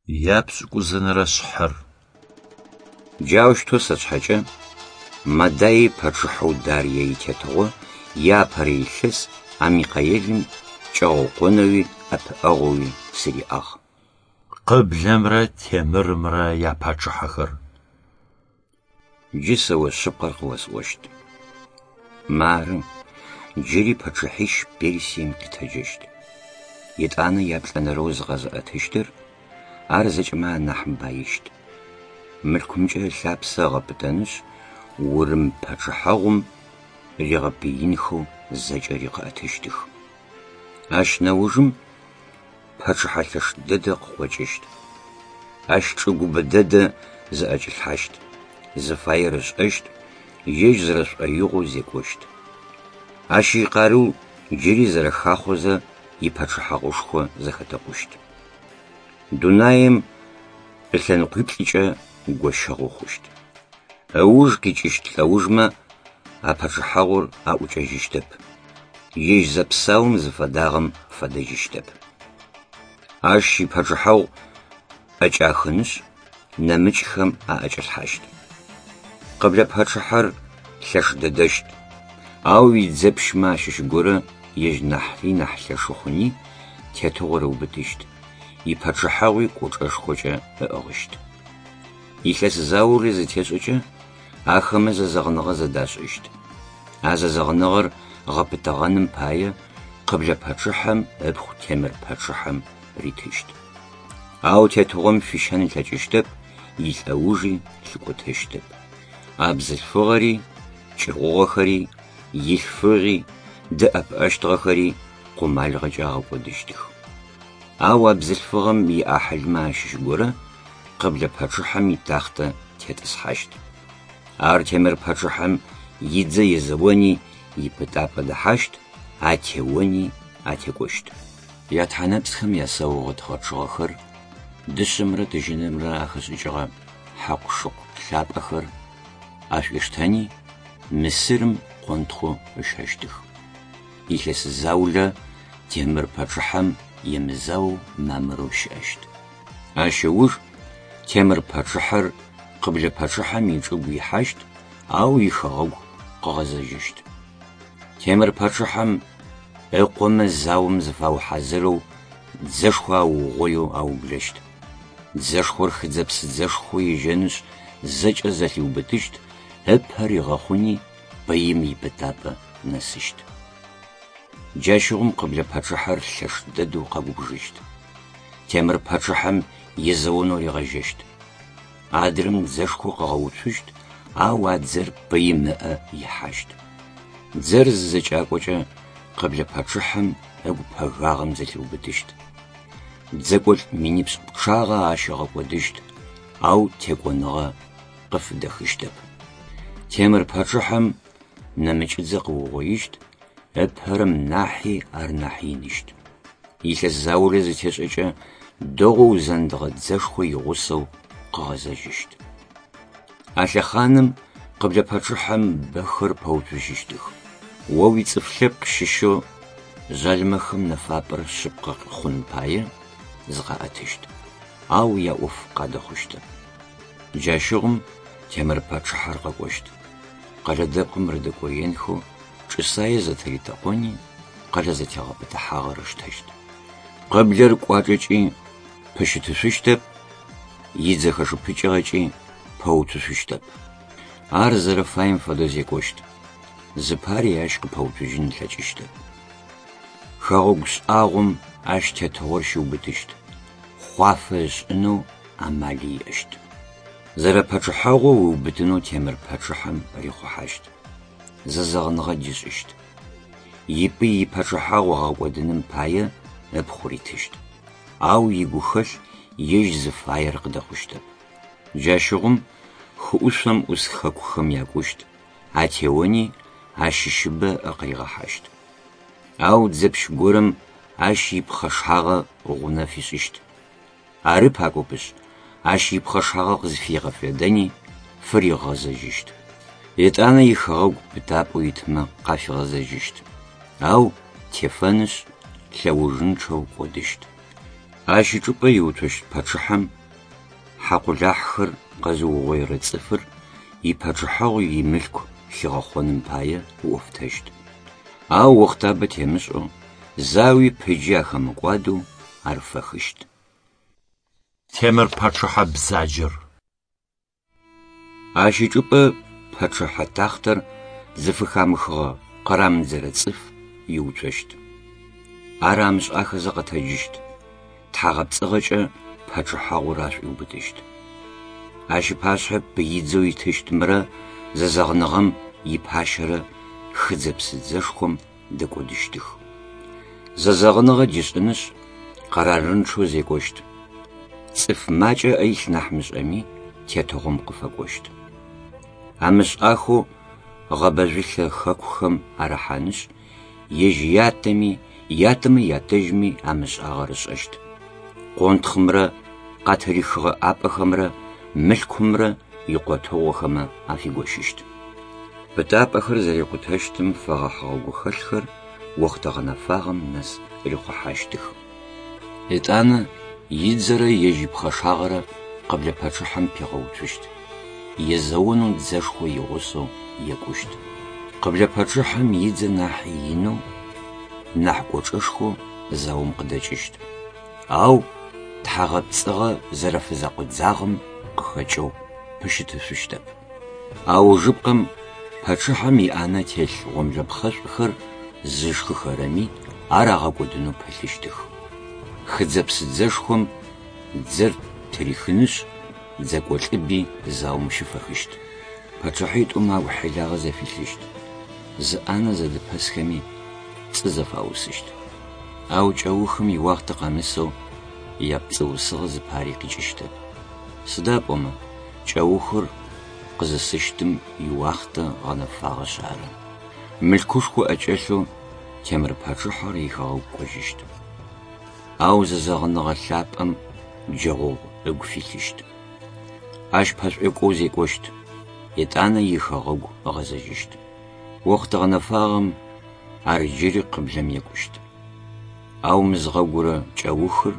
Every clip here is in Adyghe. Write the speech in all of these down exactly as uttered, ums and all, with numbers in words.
Япшӏыкӏузэнэрэ шъхьэр. Джаущтэу сэ сшъхьэкӏэ Мадай пачъыхьэу Дарые итетыгъо иапэрэ илъэс а Михаелым кӏэгъэкъонэуи ӏэпыӏэгъоуи сыриӏагъ. Къыблэмрэ Темырымрэ япачъыхьэхэр. Джы сэ о шъыпкъэр къыосӏощт. Мары, джыри пачъыхьищ Персием къитэджэщт. Етӏанэ яплӏэнэрэу зыкъэзыӏэтыщтыр, ар зэкӏэмэ анахь баищт. Мылъкумкӏэ ылъапсэ ыгъэпытэнышъ, Урым пачъыхьэгъум ригъэпыинхэу зэкӏэри къыӏэтыщтых. Ащ нэужым пачъыхьэ лъэш дэдэ къыкъокӏыщт. Ащ чӏыгу бэ дэдэ зыӏэкӏилъхьащт, зыфаер ышӏэщт, ежь зэрэшӏоигъоу зекӏощт. Ащ икъарыу джыри зэрэхахъозэ ипачъыхьэгъушхо зэхэтэкъущт. Дунаем ылъэныкъуиплӏыкӏэ гощыгъэу хъущт. Ыуж къикӏыщт лӏэужмэ а пачъыхьэгъур аӏукӏэжьыщтэп. Ежь зэпсаум зыфэдагъэм фэдэжьыщтэп. Ащ ипачъыхьэгъу ӏэкӏахынышъ, нэмыкӏхэм аӏэкӏалъхьащт. Къыблэ пачъыхьэр лъэш дэдэщт, ау идзэпщмэ ащыщ горэ ежь нахьри нахь лъэшы хъуни тетыгъор ыубытыщт, ипачъыхьэгъуи кӏочӏэшхокӏэ ыӏыгъыщт. Илъэс заулэ зытешӏэкӏэ ахэмэ зэзэгъыныгъэ зэдашӏыщт. А зэзэгъыныгъэр гъэпытэгъэным пае къыблэ пачъыхьэм ыпхъу Темыр пачъыхьэм ритыщт. Ау тетыгъом фищэн ылъэкӏыщтэп, илӏэужи лъыкӏотэщтэп. А бзылъфыгъэри, кӏыгъугъэхэри, илъфыгъи, дэӏэпыӏэщтыгъэхэри къумалыгъэкӏэ агъэкӏодыщтых. Ау а бзылъфыгъэм иӏахьылмэ ащыщ горэ къыблэ пачъыхьэм итахътэ тетӏысхьащт. Ар Темыр пачъыхьэм идзэ езэони ипытапӏэ дэхьащт, атеони атекӏощт. Ятхьанэпсхэм ясаугъэт гъэчъыгъэхэр, дышъэмрэ тыжьынымрэ ахэшӏыкӏыгъэ хьакъу-шыкъу лъапӏэхэр ашӏуиштэни Мысырым къонтхъу ыщэщтых. Илъэс заулэ Темыр пачъыхьэм емызаоу мамырэу щыӏэщт. Ащ ыуж Темыр пачъыхьэр къыблэ пачъыхьэм ичӏыгу ихьащт, ау ихэгъэгу къыгъэзэжьыщт. Темыр пачъыхьэм ыкъомэ заом зыфаухьазырэу дзэшхо аугъоеу аублэщт. Дзэшхор хыдзэ-псыдзэшхоу ежьэнышъ зэкӏэ зэлъиубытыщт, ыпэ ригъэхъуни пыим ипытапӏэ нэсыщт. Джащыгъум къыблэ пачъыхьэр лъэш дэдэу къэгубжыщт. Темыр пачъыхьэм езэонэу ригъэжьэщт. Адрэм дзэшхо къыгъэуцущт, ау а дзэр пыим ыӏэ ихьащт. Дзэр зызэкӏакӏокӏэ къыблэ пачъыхьэм ыгу пэгагъэм зэлъиубытыщт. Дзэкӏолӏ минипшӏ пчъагъэ ащ ыгъэкӏодыщт, ау текӏоныгъэ къыфыдэхыщтэп. Темыр пачъыхьэм нэмыкӏыдзэ къыугъоищт, ыпэрэм нахьи ар нахь иныщт. Илъэс заулэ зытешӏэкӏэ дэгъоу узэндыгъэ дзэшхо игъусэу къыгъэзэжьыщт. А лъэхъаным къыблэ пачъыхьэм бэхэр пэуцужьыщтых. О уицӏыф лъэпкъ щыщэу жъалымэхэм нэфапӏэр шъыпкъэ хъун пае зыкъаӏэтыщт, ау яӏоф къадэхъущтэп. Джащыгъум Темыр пачъыхьэр къэкӏощт. Къэлэ дэпкъым рыдэкӏоенхэу чӏысае зэтыритэкъони къэлэ зэтегъэпытыхьагъэр ыштэщт. Къыблэр кӏуачӏэкӏи пыщытышъущтэп, идзэ хэшыпыкӏыгъэкӏи пэуцушъущтэп. Ар зэрэфаем фэдэу зекӏощт. Зыпари ащ къыпэуцужьын ылъэкӏыщтэп. Хэгъэгу шӏагъом ащ тетыгъор щиубытыщт. Хъуафэ ышӏынэу амали иӏэщт. Зэрэпачъыхьэгъоу ыубытынэу Темыр пачъыхьэм рихъухьащт. Зэзэгъыныгъэ дишӏыщт. Ипый ипачъыхьэгъу ыгъэкӏодыным пае ыпхъу ритыщт. Ау игухэлъ ежь зыфаер къыдэхъущтэп. Джащыгъум хыӏушъом ӏус хэкухэм якӏущт, атеони ащыщыбэ ыӏэ къыригъэхьащт. Ау дзэпщ горэм ащ ипхъэшагъэ гъунэ фишӏыщт. Ары пакӏопышъ, ащ ипхъэшагъэ къызфигъэфедэни фыригъэзэжьыщт. Етӏанэ ихэгъэгу пытапӏэу итмэ къафигъэзэжьыщт. Ау тефэнышъ, лъэужынчъэу кӏодыщт. Ащ ычӏыпӏэ иуцощт пачъыхьэм хьакъулахьхэр къэзыугъоирэ цӏыфыр ипачъыхьэгъу имылъку хигъэхъоным пае ыӏофтэщт. Ау охътабэ темышӏэу, зауи пыджи ахэмыкӏуадэу ар фэхыщт. Темыр пачъыхьэ бзаджэр. Ащ ычӏыпӏэ пачъыхьэ тахътэр зыфыхамыхыгъэ къырамыдзэрэ цӏыф иуцощт. Ар амышӏахэзэ къэтэджыщт, тхьагъэпцӏыгъэкӏэ пачъыхьэгъур ашӏуиубытыщт. Ащ ыпашъхьэ пыидзэу итыщтымрэ зэзэгъыныгъэм ипащэрэ хыдзэ-псыдзэшхом дэкӏодыщтых. Зэзэгъыныгъэ дишӏынышъ, къэрарынчъэу зекӏощт. Цӏыф макӏэ ыӏэ илъ нахь мышӏэми, тетыгъом къыфэкӏощт. Амышӏахэу гъэбэжъулъэ хэкухэм арыхьанышъ, ежь ятэми, ятэмэ ятэжьми амышӏагъэр ышӏэщт. Къонтхъымрэ къатырихыгъэ ӏапӏэхэмрэ мылъкумрэ икъотэгъухэмэ афигощыщт. Пытапӏэхэр зэрикъутэщтым фэгъэхьыгъэ гухэлъхэр охътэ гъэнэфагъэм нэс рихъухьащтых. Етӏанэ идзэрэ ежь ипхъэшагъэрэ къыблэ пачъыхьэм пигъэуцущт. Езэонэу дзэшхо игъусэу екӏущт. Къыблэ пачъыхьэм идзэ нахь инэу, нахь кӏочӏэшхоу заом къыдэкӏыщт. Ау тхьагъэпцӏыгъэ зэрэфызэкъудзагъэм къыхэкӏэу пыщытышъущтэп. Аужыпкъэм пачъыхьэм иӏанэ телъ гъомлэпхъэшӏухэр зышхыхэрэми ар агъэкӏодынэу пылъыщтых. Хыдзэ-псыдзэшхом дзэр тырихынышъ, дзэкӏолӏыби заом щыфэхыщт. Пачъыхьитӏум агу хьилагъэ зэфилъыщт. Зы ӏанэ зэдыпэсхэми пцӏы зэфаусыщт. Ау кӏэухым иуахътэ къэмысэу япцӏыусыгъэ зыпари къикӏыщтэп. Сыда пӏомэ кӏэухыр къызысыщтым иуахътэ гъэнэфагъэшъ ары. Мылъкушхо ӏэкӏэлъэу Темыр пачъыхьэр ихэгъэгу кӏожьыщт. Ау зэзэгъыныгъэ лъапӏэм джэгъогъу ыгу филъыщт. Ащ пэшӏуекӏоу зекӏощт, етӏанэ ихэгъэгу ыгъэзэжьыщт. Охътэ гъэнэфагъэм ар джыри къыблэм екӏущт. Ау мызгъэгурэ кӏэухыр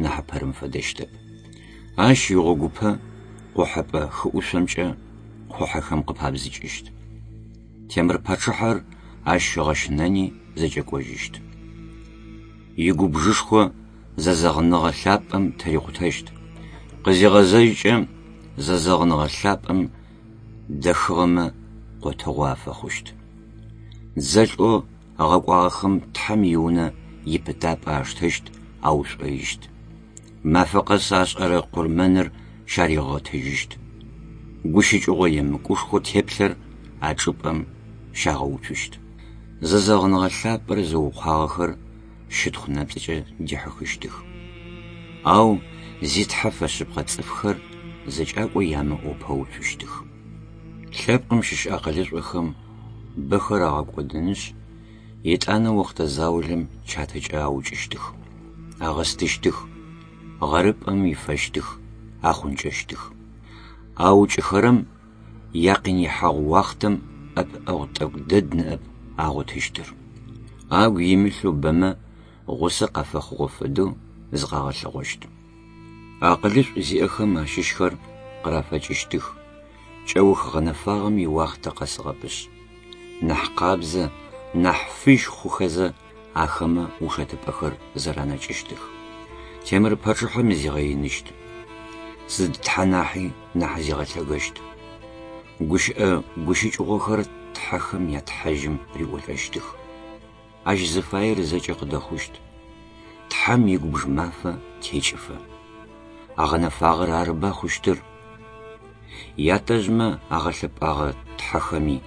нахьыпэрэм фэдэщтэп. Ащ игъогупэ къохьэпӏэ хыӏушъомкӏэ къухьэхэм къыпабзыкӏыщт. Темыр пачъыхьэр ащ ыгъэщынэни зэкӏэкӏожьыщт. Игубжышхо зэзэгъыныгъэ лъапӏэм тырикъутэщт. Къызигъэзэжькӏэ зэзэгъыныгъэ лъапӏэм дэхыгъэмэ къотэгъу афэхъущт. Дзэлӏэу ыгъэкӏуагъэхэм Тхьэм иунэ ипытапӏэ аштэщт, аушӏоищт. Мафэ къэс ашӏэрэ къурмэныр щаригъэтыжьыщт. Гущыкӏыгъо емыкӏушхо теплъэр а чӏыпӏэм щагъэуцущт. Зэзэгъыныгъэ лъапӏэр зыукъуагъэхэр щытхъу нэпцӏыкӏэ дихьыхыщтых. Ау зи Тхьэ фэшъыпкъэ цӏыфхэр зэкӏакӏо ямыӏэу пэуцущтых. Лъэпкъым щыщ акъылышӏохэм бэхэр агъэкӏодынышъ, етӏанэ охътэ заулэм чатэкӏэ аукӏыщтых, агъэстыщтых, гъэрыпӏэм ифэщтых, ахъункӏэщтых. Аукӏыхэрэм якъинихьэгъу уахътэм ӏэпыӏэгъу тӏэкӏу дэд ныӏэп агъотыщтыр. Агу имылъэу бэмэ гъусэ къафэхъугъэ фэдэу зыкъагъэлъэгъощт. Акъылышӏу зиӏэхэм ащыщхэр къырафэкӏыщтых, кӏэух гъэнэфагъэм иуахътэ къэсыгъэпышъ. Нахь къабзэ, нахь фыжь хъухэзэ ахэмэ ушэтыпӏэхэр зэранэкӏыщтых. Темыр пачъыхьэм зигъэиныщт. Сыд тхьэ нахьи нахь зигъэлъэгэщт. Гущыӏэ гущыкӏыгъохэр тхьэхэм ятхьэжьым риӏолӏэщтых. Ащ зыфаер зэкӏэ къыдэхъущт. Тхьэм игубж мафэ текӏыфэ. Агъэнэфагъэр арыба хъущтыр. Ятэжъмэ агъэлъэпӏагъэ тхьэхэми,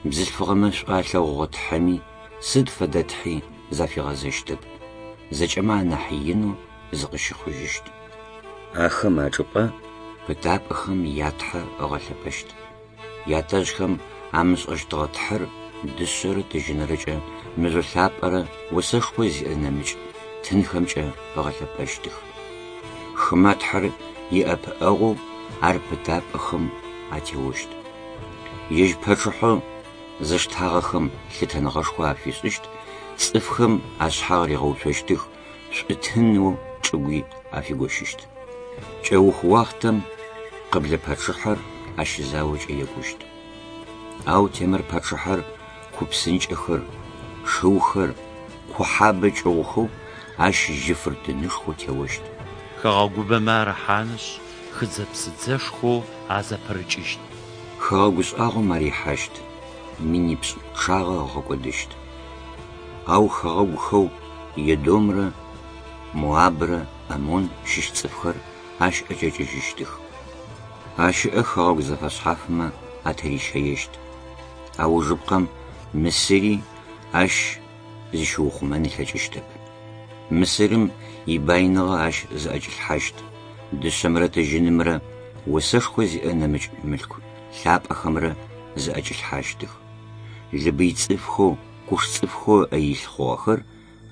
бзылъфыгъэмэ шӏу алъэгъугъэ тхьэми сыд фэдэ тхьи зафигъэзэщтэп. Зэкӏэмэ анахь инэу зыкъыщыхъужьыщт. Ахэм ачӏыпӏэ пытапӏэхэм ятхьэ ыгъэлъэпӏэщт. Ятэжъхэм амышӏэщтыгъэ тхьэр дышъэрэ тыжьынрэкӏэ мыжъо лъапӏэрэ осэшхо зиӏэ нэмыкӏ тынхэмкӏэ ыгъэлъэпӏэщтых. Хымэ тхьэр иӏэпыӏэгъоу ар пытапӏэхэм атеощт. Ежь пачъыхьэу зыштагъэхэм лъытэныгъэшхо афишӏыщт, цӏыфхэм ашъхьагъ ригъэуцощтых, шӏутынэу Чӏыгуи афигощыщт. Кӏэух уахътэм къыблэ пачъыхьэр ащ заокӏэ екӏущт. Ау темыр пачъыхьэр ку псынкӏэхэр, шыухэр, кухьабэ кӏыгъухэу ащ жьыфыртынышхоу теощт. Хэгъэгубэмэ арыхьанышъ, хыдзэ-псыдзэшхоу азэпырыкӏыщт. Хэгъэгу шӏагъом ар ихьащт, минипшӏ пчъагъэ ыгъэкӏодыщт. Ау хэгъэгухэу Едомрэ Моабрэ Амон щыщ цӏыфхэр ащ ӏэкӏэкӏыжьыщтых. Ащыӏэ хэгъэгу зэфэшъхьафмэ атырищэещт. Аужыпкъэм Мысыри ащ зыщиухъумэн ылъэкӏыщтэп. Мысырым ибаиныгъэ ащ зыӏэкӏилъхьащт, дышъэмрэ тыжьынымрэ осэшхо зиӏэ нэмыкӏ мылъку лъапӏэхэмрэ зыӏэкӏилъхьащтых. Лыбый цӏыфхэу, Куш цӏыфхэу ыӏэ илъ хъугъэхэр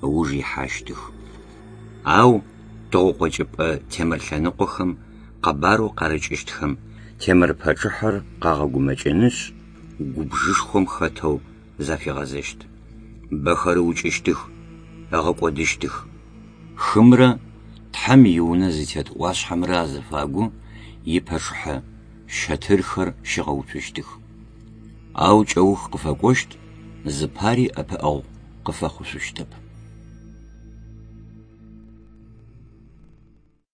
ыуж ихьащтых. Ау тыгъэкъокӏыпӏэ темыр лъэныкъохэм къэбарэу къарыкӏыщтхэм темыр пачъыхьэр къагъэгумэкӏынышъ, губжышхом хэтэу зафигъэзэщт. Бэхэр ыукӏыщтых, ыгъэкӏодыщтых. Хымрэ Тхьэм и Унэ зытет ӏуашъхьэмрэ азыфагу ипачъыхьэ щэтырхэр щигъэуцущтых. Ау кӏэух къыфэкӏощт, зыпари ӏэпыӏэгъу къыфэхъушъущтэп.